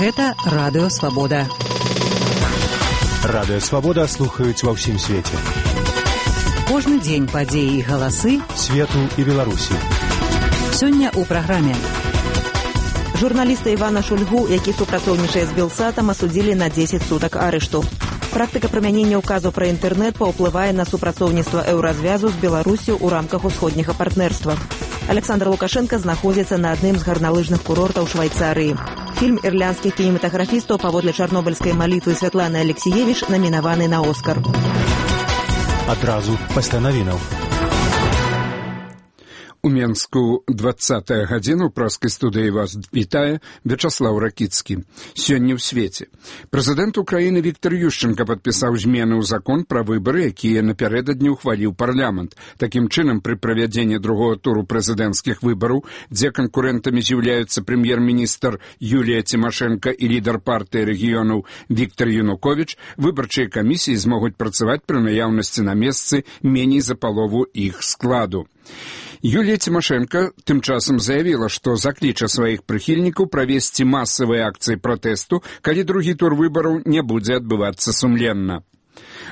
Гэта Радыё Свабода. Радыё Свабода слухаюць ва ўсім свеце. Кожны дзень падзеі і галасы свету і Беларусі. Сёння ў праграме. Журналіста Івана Шульгу, які супрацоўнічае з Белсатам, асудзілі на 10 сутак арышту. Практыка прымянення ўказу пра інтэрнэт паўплывае на супрацоўніцтва еўразвязу з Беларусю ў рамках усходняга партнерства. Александр Лукашенко знаходзіцца на адным з гарналыжных курортаў Швайцарыі. Фільм ірландскіх кінематаграфістаў паводле чарнобыльскай малітвы Святланы Алексіевіч намінаваны на Оскар. Адразу пасля навінаў. У Менску 20-я гадзіна, ў праскай студыі вас вітае Вячаслаў Ракіцкі. Сёння ў свеце. Прэзідэнт Украіны Віктор Ющенка падпісаў змены ў закон пра выбары, якія напярэдадні ўхваліў парламент. Такім чынам, пры правядзенні другого туру прэзідэнцкіх выбараў, дзе канкурэнтамі з'яўляюцца прэм'ер-міністр Юлія Цімашэнка і лідар партыі рэгіёнаў Віктор Януковіч, выбарчыя камісіі змогуць працаваць пры наяўнасці на месцы меней за палову іх складу. Юлія Цімашэнка тым часам заявіла, што закліча сваіх прыхільнікаў правесці масавыя акцыі пратэсту, калі другі тур выбараў не будзе адбывацца сумленна.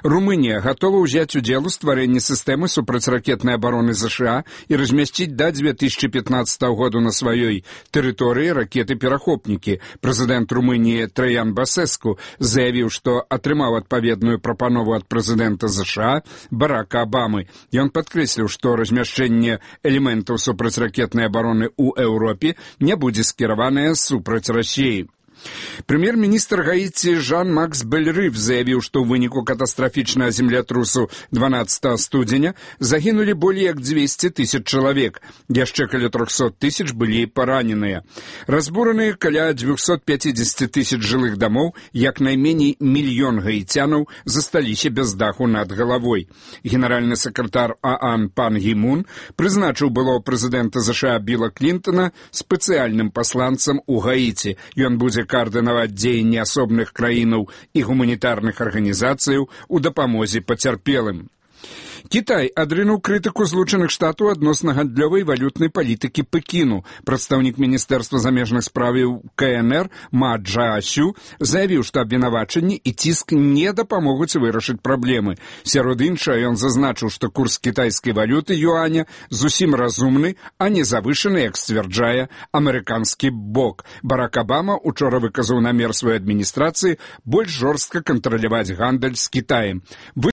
Румынія гатова ўзяць удзел у стварэнні сістэмы супрацьракетнай абароны ЗША і размясціць да 2015 году на сваёй тэрыторыі ракеты-перахопнікі. Прэзідэнт Румыніі Траян Басэску заявіў, што атрымаў адпаведную прапанову ад прэзідэнта ЗША Барака Абамы. Ён падкрэсліў, што размяшчэнне элементаў супрацьракетнай абароны ў Еўропе не будзе скіраванае супраць Расіі. Прэм'ер-міністр Гаіці Жан-Макс Бельрыф заявіў, што ў выніку катастрафічнага землятрусу 12 студзеня загінулі болей як 200 000 чалавек. Яшчэ каля 300 000 былі параненыя. Разбураныя каля 250 000 жылых дамоў, як найменей 1 мільён гаіцянаў засталіся без даху над галавой. Генеральны сакратар ААН пан Гі Мун прызначыў былого прэзідэнта ЗША Біла Клінтона спецыяльным пасланцам у Гаіці. Ён будзе каардынаваць дзеянні асобных краінаў і гуманітарных арганізацыяў у дапамозе пацярпелым. Кітай адрынуў крытыку Злучаных Штатаў адносна гандлёвай валютнай палітыкі Пекіну. Прадстаўнік Міністэрства замежных справаў КНР Ма Чжаосю заявіў, што абвінавачанні і ціск не дапамогуць вырашыць праблемы. Сярод іншага ён зазначыў, што курс кітайскай валюты юаня зусім разумны, а не завышаны, як сцвярджае амерыканскі бок. Барак Абама учора выказаў намер сваёй адміністрацыі больш жорстка кантраляваць гандаль з Кітаем.